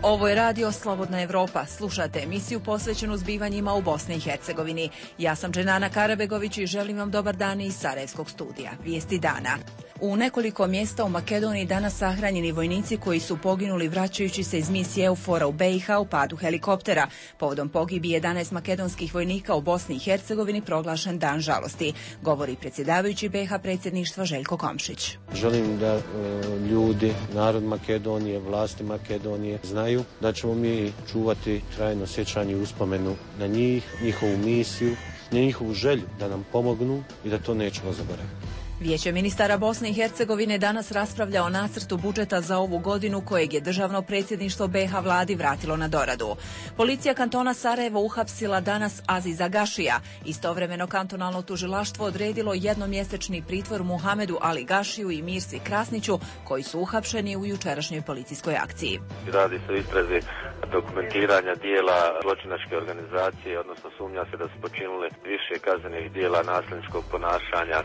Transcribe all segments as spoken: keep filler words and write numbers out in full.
Ovo je radio Slobodna Evropa. Slušate emisiju posvećenu zbivanjima u Bosni i Hercegovini. Ja sam Dženana Karabegović i želim vam dobar dan iz Sarajevskog studija. Vijesti dana. U nekoliko mjesta u Makedoniji danas sahranjeni vojnici koji su poginuli vraćajući se iz misije EUFOR-a u B i H u padu helikoptera. Povodom pogibije jedanaest makedonskih vojnika u Bosni i Hercegovini proglašen dan žalosti, govori predsjedavajući B i H predsjedništva Željko Komšić. Želim da e, ljudi, narod Makedonije, vlasti Makedonije znaju da ćemo mi čuvati trajno sjećanje i uspomenu na njih, njihovu misiju, njihovu želju da nam pomognu i da to nećemo zaboraviti. Vijeće ministara Bosne i Hercegovine danas raspravlja o nacrtu budžeta za ovu godinu kojeg je državno predsjedništvo B i H vladi vratilo na doradu. Policija kantona Sarajevo uhapsila danas Aziza Gašija. Istovremeno kantonalno tužilaštvo odredilo jednomjesečni pritvor Muhamedu Ali Gašiju i Mirsi Krasniću koji su uhapšeni u jučerašnjoj policijskoj akciji. Radi se o istrazi dokumentiranja dijela zločinačke organizacije, odnosno sumnja se da su počinili više kaznenih dijela nasilničkog ponašanja,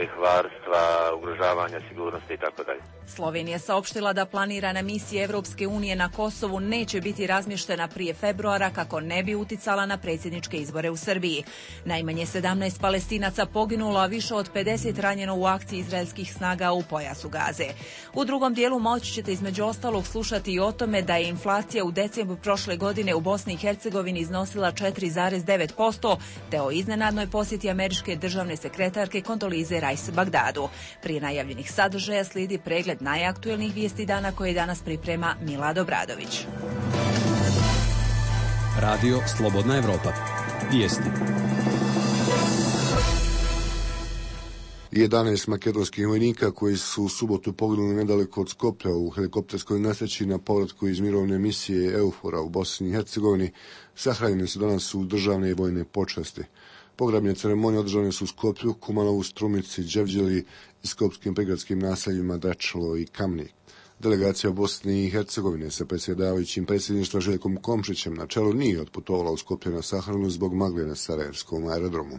lihvarstva, ugrožavanja sigurnosti i tako dalje. Slovenija saopštila da planirana misija Evropske unije na Kosovu neće biti razmještena prije februara kako ne bi uticala na predsjedničke izbore u Srbiji. Najmanje sedamnaest Palestinaca poginulo, a više od pedeset ranjeno u akciji izraelskih snaga u pojasu Gaze. U drugom dijelu moći ćete između ostalog slušati i o tome da je inflacija u decembru prošle godine u Bosni i Hercegovini iznosila četiri zarez devet posto, te o iznenadnoj posjeti američke državne sekretarke Kondolize Rice Bagdadu. Prije najavljenih sadržaja slijedi pregled najaktuelnijih vijesti dana koje danas priprema Milad Obradović. Radio Slobodna Evropa. Vijesti. jedanaest makedonskih vojnika koji su u subotu poginuli nedaleko od Skoplja u helikopterskoj nesreći na povratku iz mirovne misije EUFOR-a u Bosni i Hercegovini sahranjeni su danas u državne i vojne počasti. Pogrebne ceremonije održane su u Skoplju, Kumanovu, Strumici, Đevđeli i skopskim prigradskim naseljima Dračalo i Kamnik. Delegacija Bosne i Hercegovine sa predsjedavajućim predsjedništva Željkom Komšićem na čelu nije otputovala u Skoplje na sahranu zbog magle na Sarajevskom aerodromu.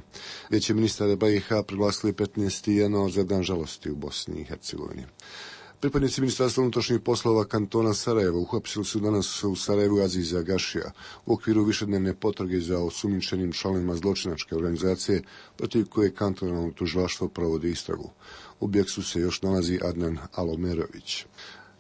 Vijeće ministara B i H proglasili petnaesti januar za dan žalosti u Bosni i Hercegovini. Pripadnici Ministarstva unutrašnjih poslova kantona Sarajevo uhapsili su danas u Sarajevu Aziza Gašija u okviru višednevne potrage za osumnjičenim članovima zločinačke organizacije protiv koje kantonalno tužilaštvo provodi istragu. U bijegstvu se još nalazi Adnan Alomerović.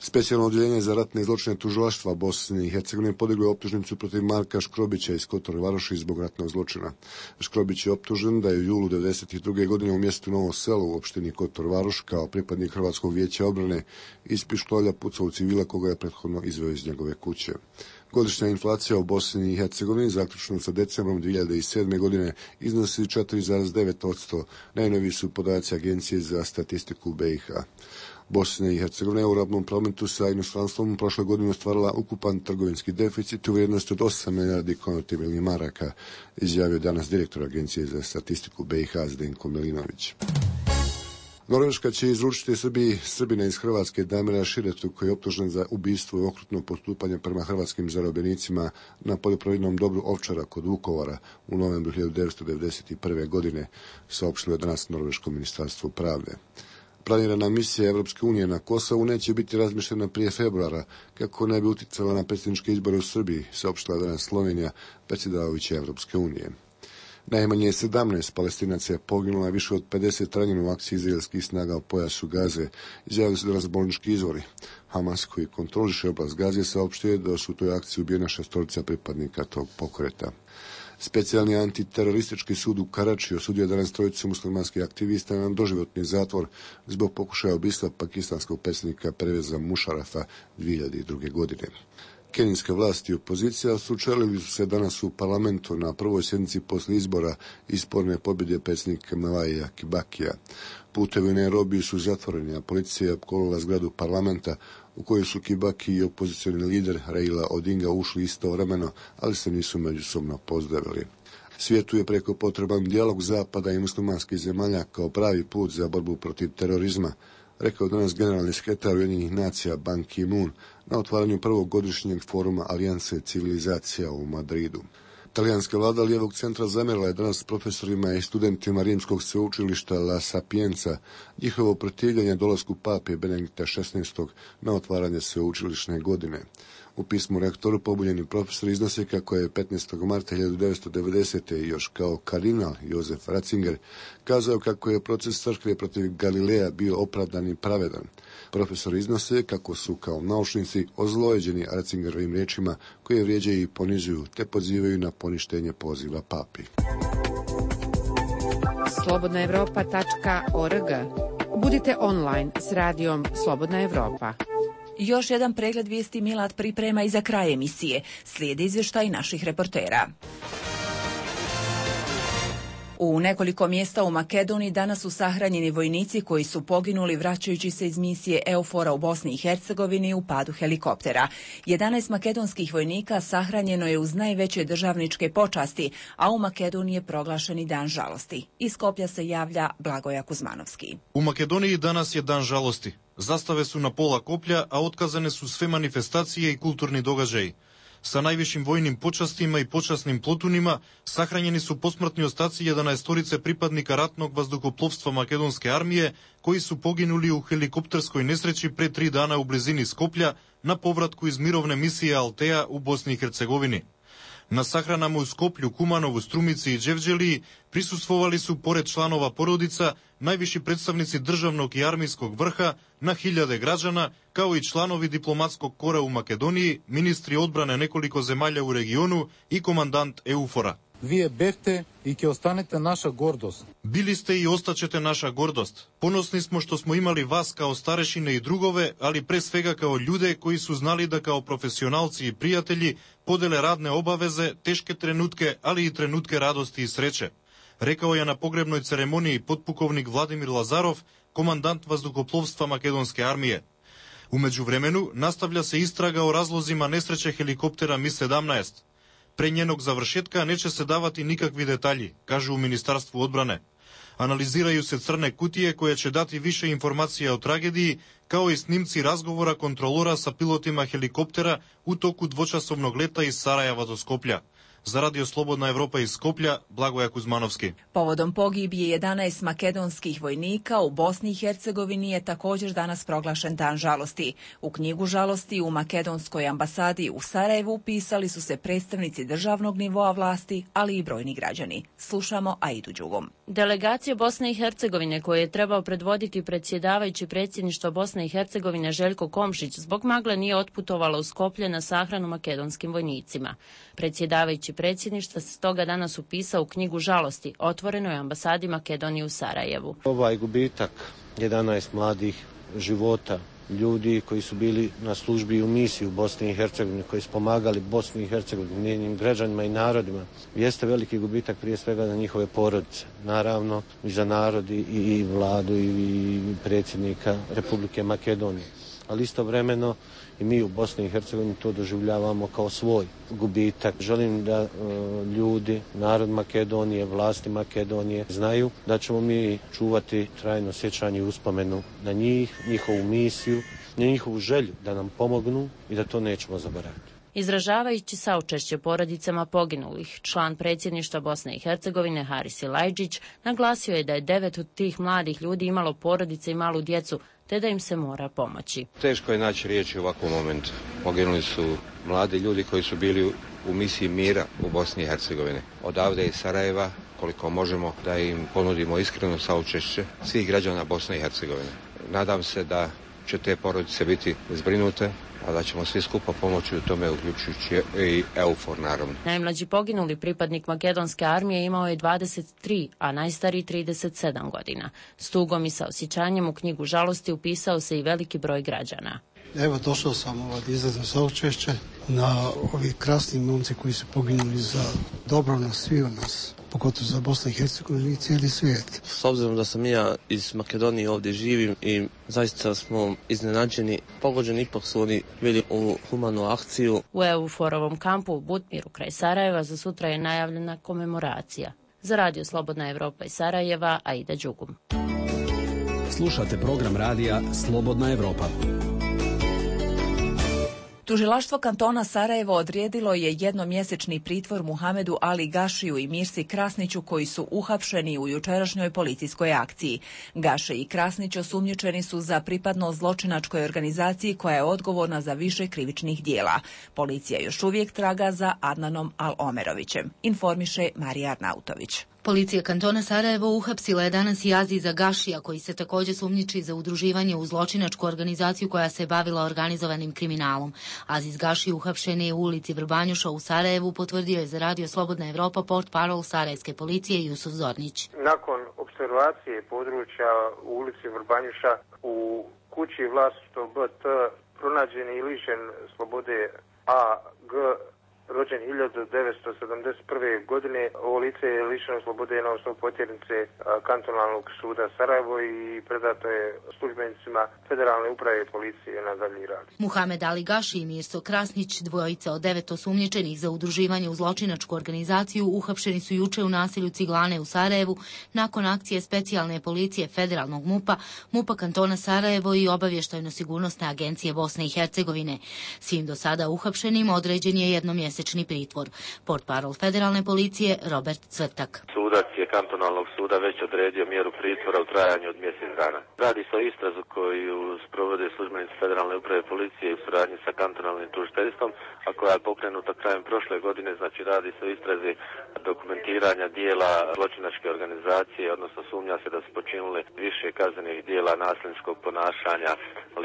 Specijalno odjeljenje za ratne zločine tužilaštva Bosne i Hercegovine podiglo je optužnicu protiv Marka Škrobića iz Kotor Varoši zbog ratnog zločina. Škrobić je optužen da je u julu devedeset druge godine u mjestu Novo Selo u opštini Kotor Varoš kao pripadnik Hrvatskog vijeća obrane iz pištolja pucao u civila koga je prethodno izveo iz njegove kuće. Godišnja inflacija u Bosni i Hercegovini zaključno sa decembrom dvije hiljade sedme. godine iznosi četiri zarez devet posto. Najnoviji su podaci Agencije za statistiku B i H. Bosna i Hercegovina je u robnom prometu sa inostranstvom prošle godine ostvarila ukupan trgovinski deficit u vrijednosti od osam milijardi konvertibilnih maraka, izjavio danas direktor Agencije za statistiku B i H Zdenko Milinović. Norveška će izručiti Srbiji Srbina iz Hrvatske Damira Širetu koji je optužen za ubistvo i okrutno postupanje prema hrvatskim zarobljenicima na poljoprivrednom dobru Ovčara kod Vukovara u novembru hiljadu devetsto devedeset prve. godine, saopštilo je danas Norveško ministarstvo pravde. Planirana misija Evropske unije na Kosovu neće biti razmišljena prije februara, kako ne bi uticala na predsjedničke izbore u Srbiji, saopštila je danas Slovenija, predsjedavajuća Evropske unije. Najmanje sedamnaest Palestinaca je poginulo, a više od pedeset ranjeno u akciji izraelskih snaga u pojasu Gaze, izjavili su danas bolnički izvori. Hamas, koji kontroliše oblast Gaze, saopštio je da su u toj akciji ubijena šestorica pripadnika tog pokreta. Specijalni antiteroristički sud u Karačiju osudio danas trojicu muslimanskih aktivista na doživotni zatvor zbog pokušaja ubistva pakistanskog predsjednika Perveza Mušarafa dvije hiljade druge. godine. Kenijske vlasti i opozicija sučelili su se danas u parlamentu na prvoj sjednici poslije izbora i sporne pobjede predsjednika Mwai Kibakija. Putevi u Nairobiju su zatvoreni, a policija je opkolila zgradu parlamenta u kojoj su Kibaki i opozicioni lider Raila Odinga ušli istovremeno, ali se nisu međusobno pozdravili. Svijetu je preko potreban dijalog Zapada i muslimanskih zemalja kao pravi put za borbu protiv terorizma, rekao danas generalni sekretar Ujedinjenih nacija Ban Ki-moon na otvaranju prvog godišnjeg foruma Alijanse civilizacija u Madridu. Talijanska vlada lijevog centra zamjerila je danas profesorima i studentima rimskog sveučilišta La Sapienza njihovo protivljenje dolasku pape Benedikta šesnaestog na otvaranje sveučilišne godine. U pismu rektoru pobunjeni profesor iznose kako je petnaestog marta hiljadu devetsto devedesete. još kao kardinal Josef Ratzinger kazao kako je proces crkve protiv Galileja bio opravdan i pravedan. Profesor iznose kako su kao naučnici ozlojeđeni Ratzingerovim riječima koje vrijeđaju i ponižuju te pozivaju na poništenje poziva papi. slobodna europa tačka org. Budite online s radijom Slobodna Evropa. Još jedan pregled vijesti Milad priprema i za kraj emisije. Slijedi izvještaj naših reportera. U nekoliko mjesta u Makedoniji danas su sahranjeni vojnici koji su poginuli vraćajući se iz misije EUFOR-a u Bosni i Hercegovini u padu helikoptera. jedanaest makedonskih vojnika sahranjeno je uz najveće državničke počasti, a u Makedoniji je proglašeni dan žalosti. Iz Skoplja se javlja Blagoja Kuzmanovski. U Makedoniji danas je dan žalosti. Zastave su na pola koplja, a otkazane su sve manifestacije i kulturni događaji. Sa najvišim vojnim počastima i počasnim plotunima sahranjeni su posmrtni ostaci jedanaestorice pripadnika ratnog vazduhoplovstva makedonske armije koji su poginuli u helikopterskoj nesreći pre tri dana u blizini Skoplja na povratku iz mirovne misije Altea u Bosni i Hercegovini. Na sahranama u Skoplju, Kumanovu, Strumici i Đevđeliji prisustvovali su, pored članova porodica, najviši predstavnici državnog i armijskog vrha, na hiljade građana, kao i članovi diplomatskog kora u Makedoniji, ministri odbrane nekoliko zemalja u regionu i komandant EUFOR-a. Вие бевте и ќе останете наша гордост. Bili ste i ostaćete naša gordost. Ponosni smo što smo imali vas kao starešine i drugove, ali pre svega kao ljude koji su znali da kao profesionalci i prijatelji podele radne obaveze, teške trenutke, ali i trenutke radosti i sreće. Rekao je na pogrebnoj ceremoniji potpukovnik Vladimir Lazarov, komandant vazduhoplovstva makedonske armije. U međuvremenu nastavlja se istraga o razlozima nesreće helikoptera Mi sedamnaest. Pre njenog završetka neće se davati nikakvi detalji, kažu u Ministarstvu odbrane. Analiziraju se crne kutije koje će dati više informacija o tragediji, kao i snimci razgovora kontrolora sa pilotima helikoptera u toku dvočasovnog leta iz Sarajeva do Skoplja. Za Radio Slobodna Evropa iz Skoplja, Blagoja Kuzmanovski. Povodom pogibije jedanaest makedonskih vojnika u Bosni i Hercegovini je također danas proglašen dan žalosti. U knjigu žalosti u makedonskoj ambasadi u Sarajevu pisali su se predstavnici državnog nivoa vlasti, ali i brojni građani. Slušamo Aidu Đugom. Delegacija Bosne i Hercegovine koju je trebao predvoditi predsjedavajući predsjedništva Bosne i Hercegovine Željko Komšić zbog magle nije otputovala u Skoplje na sahranu makedonskim vojnicima. Predsjedavajući predsjedništva se stoga danas upisao u knjigu žalosti otvorenoj ambasadi Makedonije u Sarajevu. Ovaj gubitak jedanaest mladih života, ljudi koji su bili na službi u misiji u Bosni i Hercegovini, koji su pomagali Bosni i Hercegovini, njenim građanima i narodima, jeste veliki gubitak prije svega za njihove porodice. Naravno i za narod i, i vladu i predsjednika Republike Makedonije. Ali istovremeno i mi u Bosni i Hercegovini to doživljavamo kao svoj gubitak. Želim da e, ljudi, narod Makedonije, vlasti Makedonije znaju da ćemo mi čuvati trajno sjećanje i uspomenu na njih, njihovu misiju, na njihovu želju da nam pomognu i da to nećemo zaboraviti. Izražavajući saučešće porodicama poginulih, član predsjedništva Bosne i Hercegovine Haris Ilajđić naglasio je da je devet od tih mladih ljudi imalo porodice i malu djecu, te da im se mora pomoći. Teško je naći riječi u ovakvom momentu. Poginuli su mladi ljudi koji su bili u misiji mira u Bosni i Hercegovini. Odavde iz Sarajeva, koliko možemo, da im ponudimo iskreno saučešće svih građana Bosne i Hercegovine. Nadam se da će te porodice biti zbrinute, a da ćemo svi skupa pomoći u tome, uključujući i EUFOR, naravno. Najmlađi poginuli pripadnik makedonske armije imao je dvadeset tri, a najstariji trideset sedam godina. S tugom i sa osjećanjem u knjigu žalosti upisao se i veliki broj građana. Evo, došao sam ovaj, izrazno saučešće na ovi krasni momci koji su poginuli za dobro nas, svi od nas, pogotovo za Bosnu i Hercegovinu i cijeli svijet. S obzirom da sam ja iz Makedonije ovdje živim i zaista smo iznenađeni, pogođeni, ipak su oni bili u humanu akciju. U EUFOR-ovom kampu u Butmiru kraj Sarajeva za sutra je najavljena komemoracija. Za Radio Slobodna Evropa iz Sarajeva, Aida Đugum. Slušate program radija Slobodna Evropa. Tužilaštvo kantona Sarajevo odredilo je jednomjesečni pritvor Muhamedu Ali Gašiju i Mirsi Krasniću koji su uhapšeni u jučerašnjoj policijskoj akciji. Gaše i Krasnić osumnjičeni su za pripadnost zločinačkoj organizaciji koja je odgovorna za više krivičnih dijela. Policija još uvijek traga za Adnanom Al-Omerovićem, informiše Marija Arnautović. Policija kantona Sarajevo uhapsila je danas i Aziza Gašija, koji se također sumnjiči za udruživanje u zločinačku organizaciju koja se bavila organizovanim kriminalom. Aziz Gaši uhapšen je u ulici Vrbanjuša u Sarajevu, potvrdio je za Radio Slobodna Evropa portparol sarajevske policije Jusuf Zornić. Nakon observacije područja u ulici Vrbanjuša u kući vlasništvo B T pronađen je i lišen slobode A G, rođen hiljadu devetsto sedamdeset prve. godine. Ovo lice je lišeno slobode na osnovu potjernice kantonalnog suda Sarajevo i predato je službenicima Federalne uprave policije na dalji rad. Muhamed Ali Gaši i Mirso Krasnić, dvojica od devet osumnjičenih za udruživanje u zločinačku organizaciju, uhapšeni su juče u naselju Ciglane u Sarajevu nakon akcije specijalne policije Federalnog MUP-a, MUP-a kantona Sarajevo i obavještajno-sigurnosne agencije Bosne i Hercegovine. Svim do sada uhapšenim određen je jednomjesečni pritvor. Portparol federalne policije Robert Cvrtak. Sudac je kantonalnog suda već odredio mjeru pritvora u trajanju od mjesec dana. Radi se o istrazu koju sprovode službenici Federalne uprave policije u suradnji sa kantonalnim tužiteljstvom, a koja je pokrenuta krajem prošle godine. Znači radi se o istrazi dokumentiranja dijela zločinačke organizacije, odnosno sumnja se da su počinili više kaznenih dijela nasilničkog ponašanja,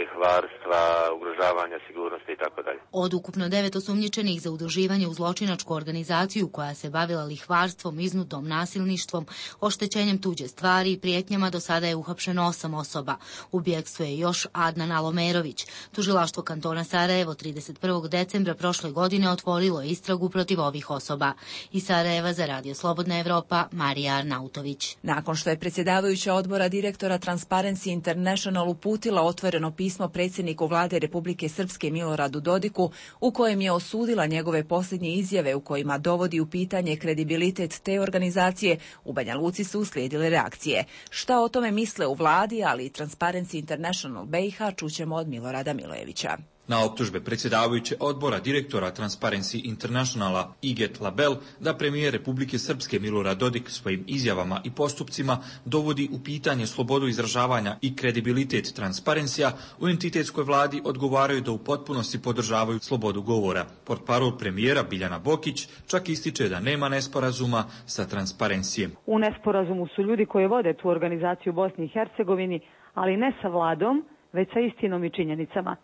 lihvarstva, ugrožavanja sigurnosti itd. Od ukupno devet osumnjičenih za udruživanje u zločinačku organizaciju koja se bavila lihvarstvom, iznudom, nasilništvom, oštećenjem tuđe stvari i prijetnjama, do sada je uhapšeno osam osoba. U bjegstvu je još Adnan Al-Omerović. Tužilaštvo kantona Sarajevo trideset prvog decembra prošle godine otvorilo je istragu protiv ovih osoba. Iz Sarajeva za Radio Slobodna Evropa, Marija Arnautović. Nakon što je predsjedavajuća odbora direktora Transparency International uputila otvoreno pismo predsjedniku vlade Republike Srpske Miloradu Dodiku, u kojem je osudila njegove posljednje izjave u kojima dovodi u pitanje kredibilitet te organizacije, u Banja Luci su uslijedile reakcije. Šta o tome misle u vladi, ali i Transparency International B i H, čućemo od Milorada Milojevića. Na optužbe predsjedavajuće odbora direktora Transparency Internationala Iget Label da premijer Republike Srpske Milorad Dodik svojim izjavama i postupcima dovodi u pitanje slobodu izražavanja i kredibilitet Transparencija, u entitetskoj vladi odgovaraju da u potpunosti podržavaju slobodu govora. Portparol premijera Biljana Bokić čak ističe da nema nesporazuma sa Transparencijem. U nesporazumu su ljudi koji vode tu organizaciju u Bosni i Hercegovini, ali ne sa vladom, već sa istinom i činjenicama.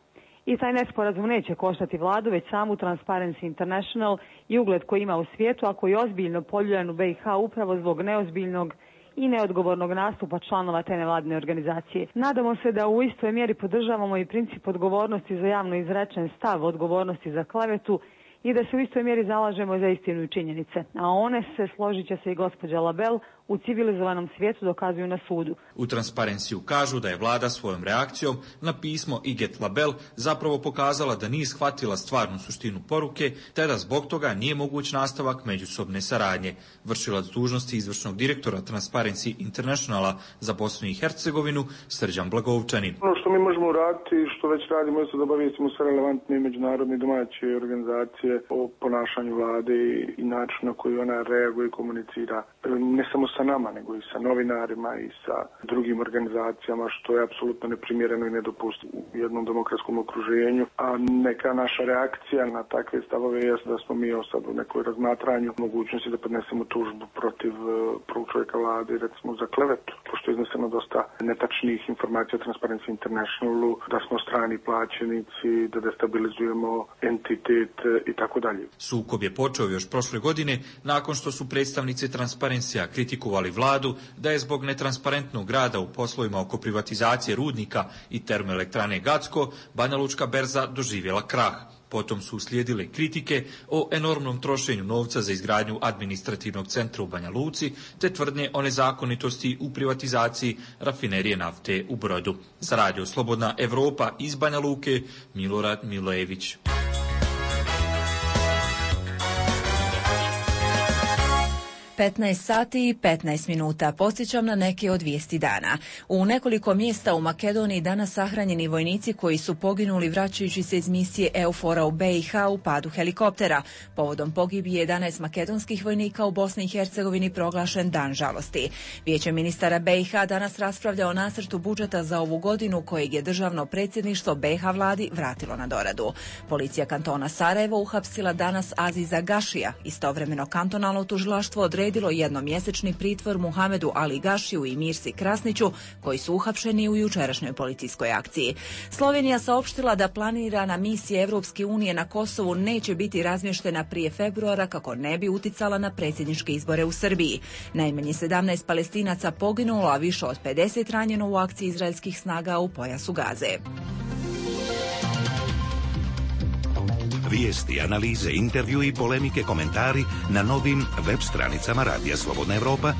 I taj nesporazum neće koštati vladu, već samu Transparency International i ugled koji ima u svijetu, a koji je ozbiljno poljuljan u B i H upravo zbog neozbiljnog i neodgovornog nastupa članova te nevladine organizacije. Nadamo se da u istoj mjeri podržavamo i princip odgovornosti za javno izrečen stav, odgovornosti za klevetu, i da se u istoj mjeri zalažemo za istinu i činjenice. A one se, složit će se i gospođa Label, u civilizovanom svijetu dokazuju na sudu. U Transparenciju kažu da je vlada svojom reakcijom na pismo Iget Label zapravo pokazala da nije shvatila stvarnu suštinu poruke, te da zbog toga nije moguć nastavak međusobne saradnje. Vršilac dužnosti izvršnog direktora Transparency Internationala za Bosnu i Hercegovinu Srđan Blagovčanin. Ono što mi možemo uraditi, što već radimo, je da obavijestimo sve relevantne međunarodne domaće organizacije o ponašanju vlade i načinu na koji ona reaguje i komunicira. Ne samo sa nama, nego i sa novinarima i sa drugim organizacijama, što je apsolutno neprimjereno i nedopustivo u jednom demokratskom okruženju. A neka naša reakcija na takve stavove je da smo mi sad u nekoj razmatranju mogućnosti da podnesemo tužbu protiv prvog čovjeka vlade, recimo za klevetu, pošto je izneseno dosta netačnih informacija o Transparency Internationalu, da smo strani plaćenici, da destabilizujemo entitet i tako dalje. Sukob je počeo još prošle godine nakon što su predstavnici Transparencija kritikovali vladu da je zbog netransparentnog rada u poslovima oko privatizacije rudnika i termoelektrane Gacko Banja Lučka berza doživjela krah. Potom su uslijedile kritike o enormnom trošenju novca za izgradnju administrativnog centra u Banja Luci, te tvrdnje o nezakonitosti u privatizaciji rafinerije nafte u Brodu. Za Radio Slobodna Evropa iz Banja Luke, Milorad Milojević. petnaest sati i petnaest minuta. Podsjećam na neke od vijesti dana. U nekoliko mjesta u Makedoniji danas sahranjeni vojnici koji su poginuli vraćajući se iz misije EUFOR-a u B i H u padu helikoptera. Povodom pogibije jedanaest makedonskih vojnika u Bosni i Hercegovini proglašen dan žalosti. Vijeće ministara B i H danas raspravlja o nacrtu budžeta za ovu godinu kojeg je državno predsjedništvo B i H vladi vratilo na doradu. Policija kantona Sarajevo uhapsila danas Aziza Gašija. Istovremeno kantonalno tužilaštvo odredilo jednomjesečni pritvor Muhamedu Ali Gašiju i Mirsi Krasniću, koji su uhapšeni u jučerašnjoj policijskoj akciji. Slovenija saopštila da planirana misija Evropske unije na Kosovu neće biti razmještena prije februara kako ne bi uticala na predsjedničke izbore u Srbiji. Najmanje sedamnaest Palestinaca poginulo, a više od pedeset ranjeno u akciji izraelskih snaga u pojasu Gaze. Vijesti, analize, intervju i polemike, komentari na novim web stranicama Radija Slobodna Evropa,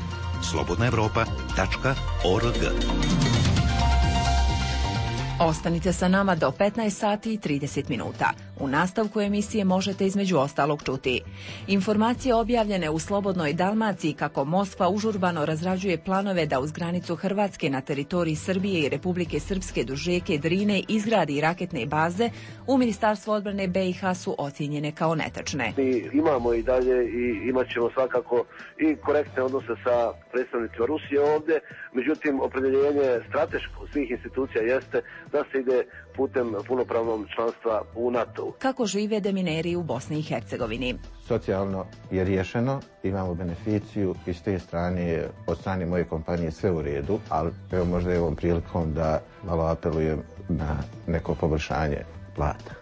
slobodna evropa tačka org. Ostanite sa nama do petnaest sati i trideset minuta. U nastavku emisije možete između ostalog čuti informacije objavljene u Slobodnoj Dalmaciji kako Moskva užurbano razrađuje planove da uz granicu Hrvatske na teritoriji Srbije i Republike Srpske duž rijeke Drine izgradi raketne baze, u Ministarstvu odbrane B i H su ocijenjene kao netačne. Mi imamo i dalje i imat ćemo svakako i korektne odnose sa predstavnicima Rusije ovdje, međutim opredjeljenje strateško svih institucija jeste da se ide putem punopravnog članstva u NATO. Kako žive demineri u Bosni i Hercegovini? Socijalno je riješeno, imamo beneficiju i s te strane, od strane moje kompanije sve u redu, ali evo možda je ovom prilikom da malo apelujem na neko poboljšanje plata.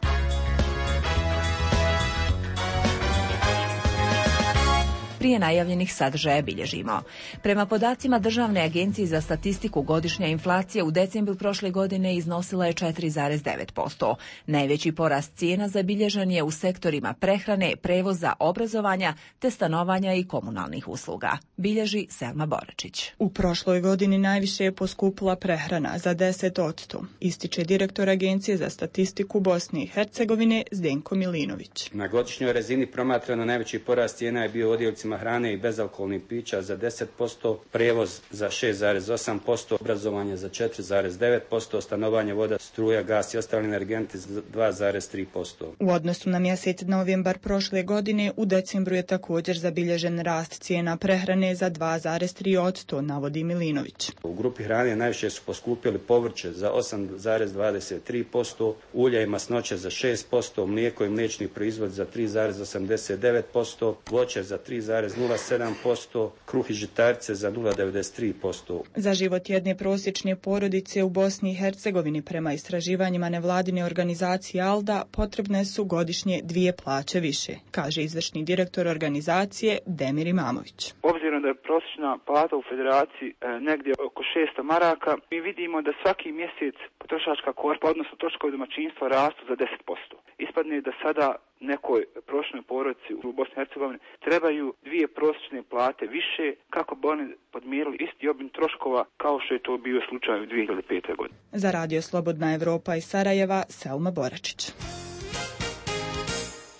Prije najavljenih sadržaja bilježimo. Prema podacima Državne agencije za statistiku, godišnja inflacija u decembru prošle godine iznosila je četiri zarez devet posto. Najveći porast cijena zabilježen je u sektorima prehrane, prevoza, obrazovanja te stanovanja i komunalnih usluga. Bilježi Selma Boračić. U prošloj godini najviše je poskupila prehrana za deset posto, ističe direktor Agencije za statistiku Bosne i Hercegovine Zdenko Milinović. Na godišnjoj razini promatrano najveći porast cijena je bio u odjeljcima hrane i bezalkoholnih pića za deset posto, prevoz za šest zarez osam posto, obrazovanje za četiri zarez devet posto, stanovanje, voda, struja, gas i ostali energenti za dva zarez tri posto. U odnosu na mjesec novembar prošle godine, u decembru je također zabilježen rast cijena prehrane za dva zarez tri posto, navodi Milinović. U grupi hrane najviše su poskupili povrće za osam zarez dvadeset tri posto, ulja i masnoće za šest posto, mlijeko i mliječni proizvod za tri zarez osamdeset devet posto, voće za tri zarez nula sedam posto, kruh i žitarice za nula zarez devedeset tri posto. Za život jedne prosječne porodice u Bosni i Hercegovini prema istraživanjima nevladine organizacije ALDA potrebne su godišnje dvije plaće više, kaže izvršni direktor organizacije Demir Imamović. Obzirom da je prosječna plata u federaciji e, negdje oko šesto maraka, mi vidimo da svaki mjesec potrošačka korpa, odnosno troškovi domaćinstva, rastu za deset posto. Ispadne da sada nekoj prosječnoj porodici u Bosni i Hercegovini trebaju dvije prosječne plate više kako bi oni podmirili isti obim troškova kao što je to bio slučaj u dvije hiljade pete. godine. Za Radio Slobodna Evropa iz Sarajeva, Selma Boračić.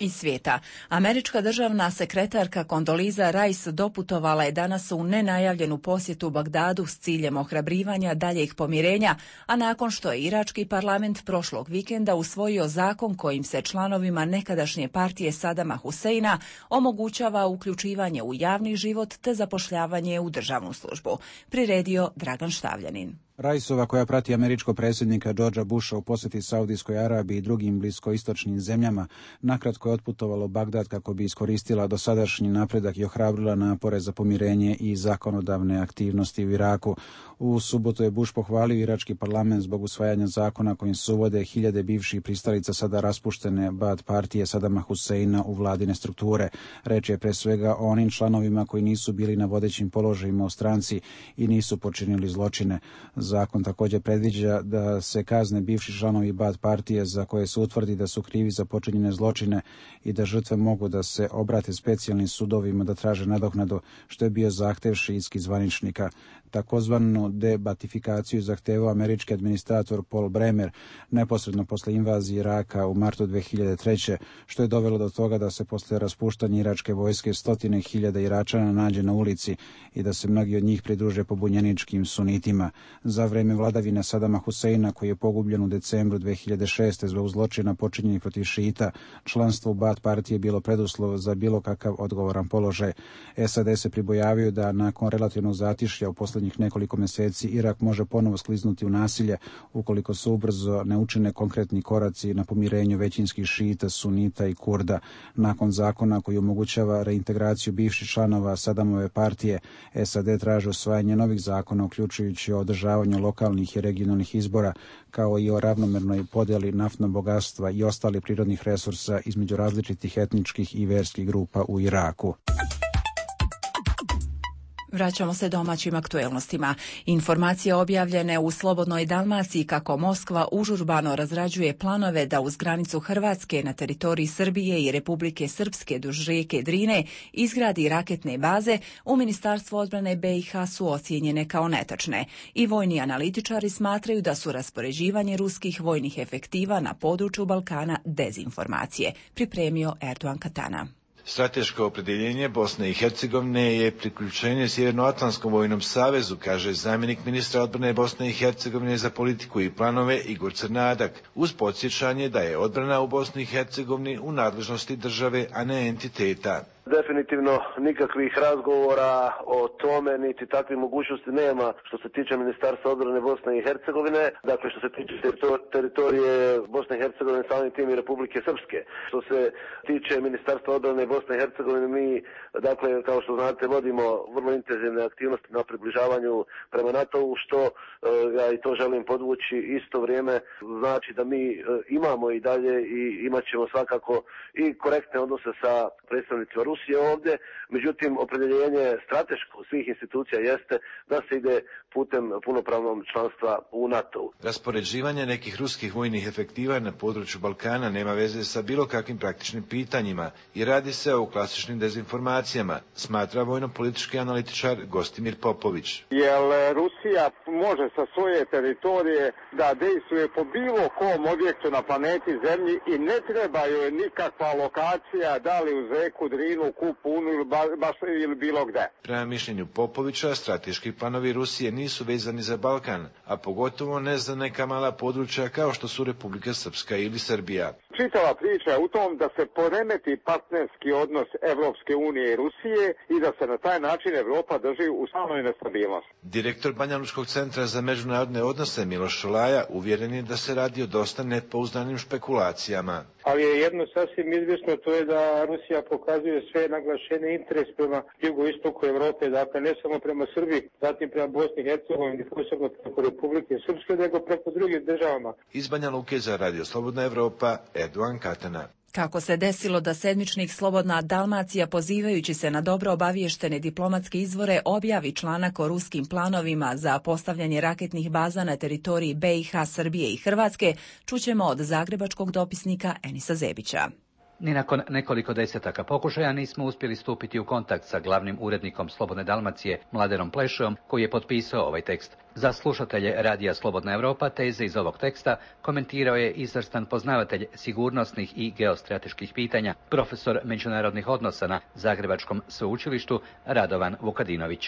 Iz svijeta. Američka državna sekretarka Kondoliza Rice doputovala je danas u nenajavljenu posjetu Bagdadu s ciljem ohrabrivanja daljeg pomirenja, a nakon što je irački parlament prošlog vikenda usvojio zakon kojim se članovima nekadašnje partije Sadama Huseina omogućava uključivanje u javni život te zapošljavanje u državnu službu. Priredio Dragan Štavljanin. Rajsova, koja prati američkog predsjednika Georgea Busha u posjeti Saudijskoj Arabiji i drugim bliskoistočnim zemljama, nakratko je otputovala u Bagdad kako bi iskoristila dosadašnji napredak i ohrabrila napore za pomirenje i zakonodavne aktivnosti u Iraku. U subotu je Bush pohvalio irački parlament zbog usvajanja zakona kojim se uvode hiljade bivših pristalica sada raspuštene Baath partije Sadama Huseina u vladine strukture. Reč je pre svega o onim članovima koji nisu bili na vodećim položajima u stranci i nisu počinili zločine. zakon također predviđa da se kazne bivši članovi Baath partije za koje se utvrdi da su krivi za počinjene zločine i da žrtve mogu da se obrate specijalnim sudovima da traže nadoknadu, što je bio zahtev šiitskih zvaničnika. Takozvanu debatifikaciju zahtevao američki administrator Paul Bremer neposredno posle invazije Iraka u martu dve hiljade treće. što je dovelo do toga da se posle raspuštanja iračke vojske stotine hiljada Iračana nađe na ulici i da se mnogi od njih pridruže pobunjeničkim sunitima. Za vreme vladavine Sadama Huseina, koji je pogubljen u decembru dve hiljade šeste. zbog zločina počinjenih protiv šita, članstvo u Baath partije je bilo preduslov za bilo kakav odgovoran položaj. S A D se pribojavaju da nakon relativnog zatišlja u posljednjih nekoliko mjeseci Irak može ponovo skliznuti u nasilje ukoliko se ubrzo ne učine konkretni koraci na pomirenju većinskih šita, sunita i Kurda. Nakon zakona koji omogućava reintegraciju bivših članova Sadamove partije, S A D traže usvajanje novih zakona, uključujući o održavanju lokalnih i regionalnih izbora, kao i o ravnomernoj podjeli naftnog bogatstva i ostalih prirodnih resursa između različitih etničkih i verskih grupa u Iraku. Vraćamo se domaćim aktuelnostima. Informacije objavljene u Slobodnoj Dalmaciji kako Moskva užurbano razrađuje planove da uz granicu Hrvatske na teritoriji Srbije i Republike Srpske duž rijeke Drine izgradi raketne baze, u Ministarstvu odbrane B i H su ocijenjene kao netačne. I vojni analitičari smatraju da su raspoređivanje ruskih vojnih efektiva na području Balkana dezinformacije. Pripremio Erdogan Katana. Strateško opredjeljenje Bosne i Hercegovine je priključenje Sjevernoatlantskom vojnom savezu, kaže zamjenik ministra odbrane Bosne i Hercegovine za politiku i planove Igor Crnadak, uz podsjećanje da je odbrana u Bosni i Hercegovini u nadležnosti države, a ne entiteta. Definitivno nikakvih razgovora o tome, niti takve mogućnosti nema što se tiče Ministarstva odbrane Bosne i Hercegovine, dakle što se tiče teritorije Bosne i Hercegovine, samim tim i Republike Srpske. Što se tiče Ministarstva odbrane Bosne i Hercegovine, mi, dakle, kao što znate, vodimo vrlo intenzivne aktivnosti na približavanju prema NATO-u, što ja i to želim podvući, isto vrijeme znači da mi imamo i dalje i imat ćemo svakako i korektne odnose sa predstavnicima Rusije ovdje, međutim opredjeljenje strateško svih institucija jeste da se ide putem punopravnog članstva u NATO-u. Raspoređivanje nekih ruskih vojnih efektiva na području Balkana nema veze sa bilo kakvim praktičnim pitanjima i radi se o klasičnim dezinformacijama, smatra vojno-politički analitičar Gostimir Popović. Jer Rusija može sa svoje teritorije da dejstvuje po bilo kom objektu na planeti Zemlji i ne treba joj nikakva lokacija, da li uz reku Drinu, Kupunu ili baš ili bilo gde. Prema mišljenju Popovića, strateški planovi Rusije nisu vezani za Balkan, a pogotovo ne za neka mala područja kao što su Republika Srpska ili Srbija. Čitava priča je u tom da se poremeti partnerski odnos Evropske unije i Rusije i da se na taj način Evropa drži u stalnoj nestabilnosti. Direktor Banjalučkog centra za međunarodne odnose Miloš Šolaja uvjeren je da se radi o dosta nepouzdanim špekulacijama. Ali je jedno sasvim izvjesno, to je da Rusija pokazuje sve naglašeni interes prema jugoistoku Evrope, dakle ne samo prema Srbiji, zatim prema Bosni i Hercegovini, posebno preko Republike Srpske, nego preko drugih državama. Iz Banja Luke za Radio Slobodna Evropa, Erdogan Katana. Kako se desilo da sedmičnik Slobodna Dalmacija, pozivajući se na dobro obavještene diplomatske izvore, objavi članak o ruskim planovima za postavljanje raketnih baza na teritoriji B i H, Srbije i Hrvatske, čućemo od zagrebačkog dopisnika Enisa Zebića. Ni nakon nekoliko desetaka pokušaja nismo uspjeli stupiti u kontakt sa glavnim urednikom Slobodne Dalmacije, Mladenom Plešom, koji je potpisao ovaj tekst. Za slušatelje Radija Slobodna Evropa teze iz ovog teksta komentirao je izvrstan poznavatelj sigurnosnih i geostrateških pitanja, profesor međunarodnih odnosa na Zagrebačkom sveučilištu Radovan Vukadinović.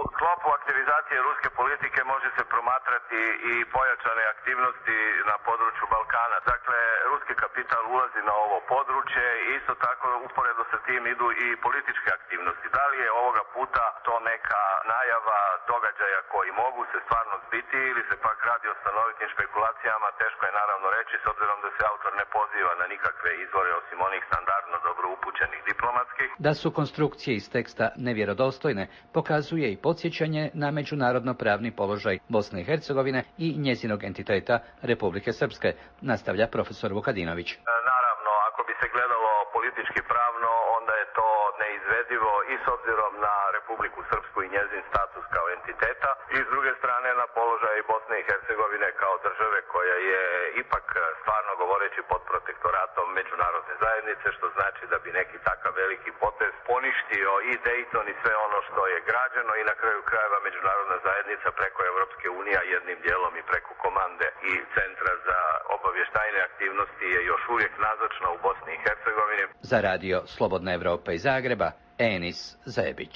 U sklopu aktivizacije ruske politike može se promatrati i pojačane aktivnosti na području Balkana. Dakle, ruski kapital ulazi na ovo područje i isto tako uporedo sa tim idu i političke aktivnosti. Da li je ovoga puta to neka najava događaja koji mogu se stvarno zbiti ili se pak radi o stanovitim špekulacijama, teško je naravno reći s obzirom da se autor ne poziva na nikakve izvore osim onih standardno dobro upućenih diplomatskih. Da su konstrukcije iz teksta nevjerodostojne pokazuje i podsjećanje na međunarodno pravni položaj Bosne i Hercegovine i njezinog entiteta Republike Srpske, nastavlja profesor Vukadinović. Naravno, ako bi se gledalo politički pravno, onda je to neizvjesno izvedivo i s obzirom na Republiku Srpsku i njezin status kao entiteta i s druge strane na položaj Bosne i Hercegovine kao države koja je ipak stvarno govoreći pod protektoratom međunarodne zajednice, što znači da bi neki takav veliki potez poništio i Dayton i sve ono što je građeno i na kraju krajeva međunarodna zajednica preko Evropske unije, jednim dijelom i preko komande i Centra za obavještajne aktivnosti je još uvijek nazočna u Bosni i Hercegovini. Za radio Slobodna Evropa iz Zagreba, Enis Zebić.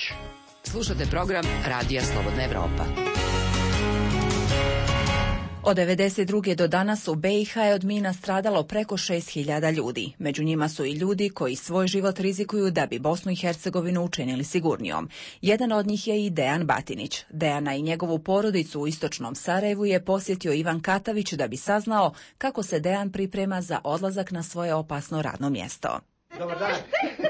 Slušate program Radija Slobodna Evropa. Od devedeset druge do danas u B i H je od mina stradalo preko šest hiljada ljudi. Među njima su i ljudi koji svoj život rizikuju da bi Bosnu i Hercegovinu učinili sigurnijom. Jedan od njih je i Dejan Batinić. Dejana i njegovu porodicu u istočnom Sarajevu je posjetio Ivan Katavić da bi saznao kako se Dejan priprema za odlazak na svoje opasno radno mjesto. Dobar dan.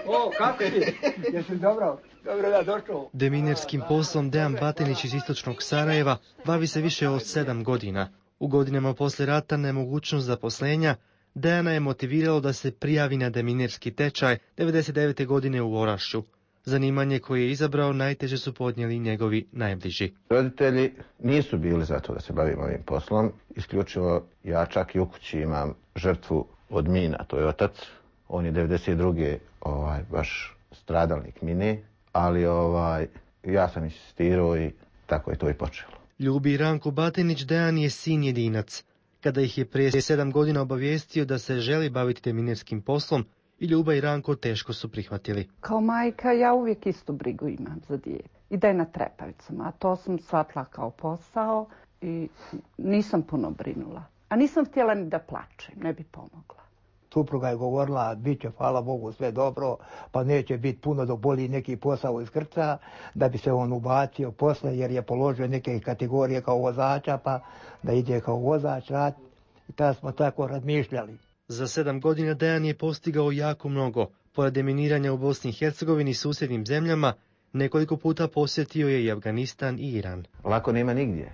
O, kako ti? Jesi dobro? Dobro da došao. Deminerskim poslom Dejan Batinić iz istočnog Sarajeva bavi se više od sedam godina. U godinama poslije rata nemogućnost zaposlenja Dejana je motiviralo da se prijavi na deminerski tečaj devedeset devete godine u Orašću. Zanimanje koje je izabrao najteže su podnijeli njegovi najbliži. Roditelji nisu bili za to da se bavim ovim poslom. Isključivo ja čak i u kući imam žrtvu od mina, to je otac. On je devedeset druge ovaj, baš stradalnik mine, ali ovaj, ja sam insistirao i tako je to i počelo. Ljubi Ranko Batinić Dejan je sin jedinac. Kada ih je prije sedam godina obavijestio da se želi baviti deminerskim poslom, i Ljuba i Ranko teško su prihvatili. Kao majka ja uvijek istu brigu imam za dijete. I da je na trepavicama, a to sam shvatila kao posao i nisam puno brinula. A nisam htjela ni da plačem, ne bi pomogla. Supruga je govorila, bit će, hvala Bogu, sve dobro, pa neće biti puno dok boli neki posao iz krca, da bi se on ubacio posle, jer je položio neke kategorije kao vozača, pa da ide kao vozač rad. I tada smo tako razmišljali. Za sedam godina Dejan je postigao jako mnogo. Pored deminiranja u Bosni i Hercegovini i susjednim zemljama, nekoliko puta posjetio je i Afganistan i Iran. Lako nema nigdje,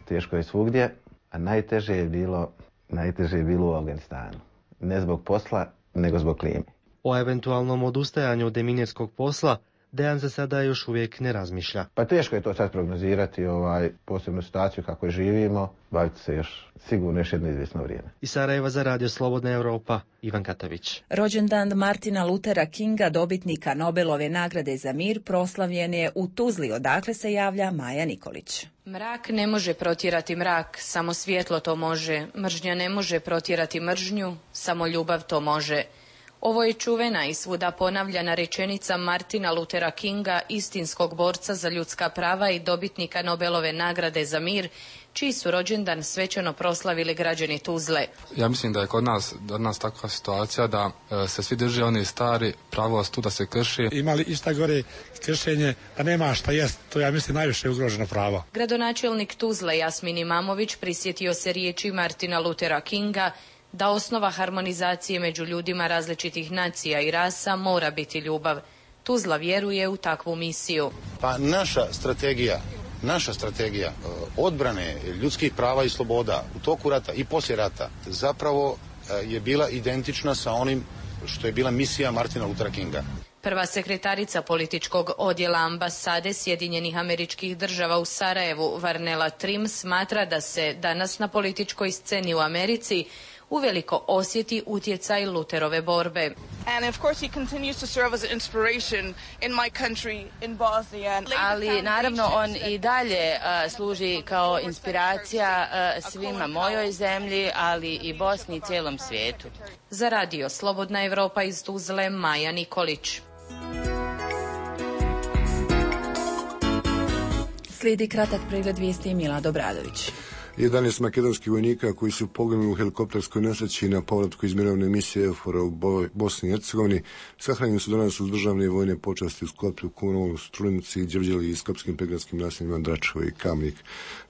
teško je svugdje, a najteže je bilo, najteže je bilo u Afganistanu. Ne zbog posla, nego zbog klime. O eventualnom odustajanju od deminerskog posla Dejan za sada još uvijek ne razmišlja. Pa teško je to sad prognozirati, ovaj, posebnu situaciju kako je živimo, baviti se još sigurno još jedno izvjesno vrijeme. Iz Sarajeva za radio Slobodna Evropa, Ivan Katavić. Rođendan Martina Luthera Kinga, dobitnika Nobelove nagrade za mir, proslavljen je u Tuzli, odakle se javlja Maja Nikolić. Mrak ne može protjerati mrak, samo svjetlo to može. Mržnja ne može protjerati mržnju, samo ljubav to može. Ovo je čuvena i svuda ponavljana rečenica Martina Luthera Kinga, istinskog borca za ljudska prava i dobitnika Nobelove nagrade za mir, čiji su rođendan svečano proslavili građani Tuzle. Ja mislim da je kod nas, kod nas takva situacija da e, se svi drže oni stari, pravost tu da se krši. Imali ista gore kršenje, a nema šta jest, to ja mislim najviše ugroženo pravo. Gradonačelnik Tuzle Jasmin Imamović prisjetio se riječi Martina Luthera Kinga da osnova harmonizacije među ljudima različitih nacija i rasa mora biti ljubav. Tuzla vjeruje u takvu misiju. Pa naša strategija, naša strategija odbrane ljudskih prava i sloboda u toku rata i poslije rata zapravo je bila identična sa onim što je bila misija Martina Luthera Kinga. Prva sekretarica političkog odjela ambasade Sjedinjenih Američkih Država u Sarajevu, Varnela Trim, smatra da se danas na političkoj sceni u Americi uveliko osjeti utjecaj Lutherove borbe. Ali naravno on i dalje uh, služi kao inspiracija uh, svima mojoj zemlji, ali i Bosni i cijelom svijetu. Za radio Slobodna Evropa iz Tuzle, Maja Nikolić. Slijedi kratak pregled vijesti Milad Obradović. jedanaest makedonskih vojnika koji su poginuli u helikopterskoj nesreći na povratku iz mirovne misije EUFOR-a u Bosni i Hercegovini sahranjeni su danas uz državne i vojne počasti u Skopju, Kumanovu, Strunici, Đevđeli i skopskim pregradskim naseljima Dračevo i Kamnik.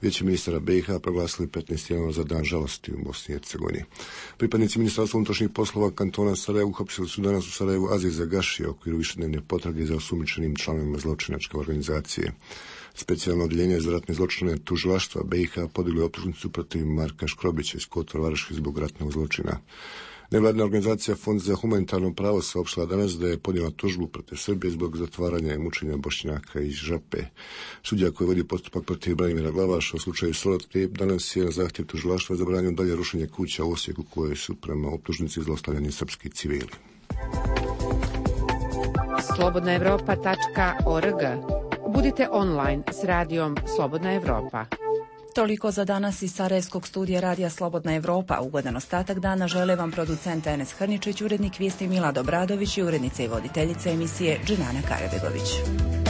Vijeće ministara B i H proglasili petnaest januara za dan žalosti u Bosni i Hercegovini. Pripadnici Ministarstva unutrašnjih poslova kantona Sarajevo uhapsili su danas u Sarajevu Aziza Gašija u okviru višednevne potrage za osumnjičenim članovima zločinačke organizacije. Specijalno odjeljenje za ratne zločine tužilaštva B i H podiglo optužnicu protiv Marka Škrobića iz Kotor Varoši zbog ratnog zločina. Nevladina organizacija Fond za humanitarno pravo saopštila danas da je podnijela tužbu protiv Srbije zbog zatvaranja i mučenja Bošnjaka iz Žape. Sudija koji vodi postupak protiv Branimira Glavaša u slučaju Solatke danas je na zahtjev tužilaštva zabranio dalje rušenje kuća u Osijeku koje su prema optužnici zlostavljani srpski civili. slobodna evropa tačka org. Budite online s radijom Slobodna Evropa. Toliko za danas iz Sarajevskog studija Radija Slobodna Evropa. Ugodan ostatak dana žele vam producent Enes Hrničić, urednik vijesti Milad Obradović i urednica i voditeljica emisije Dženana Karabegović.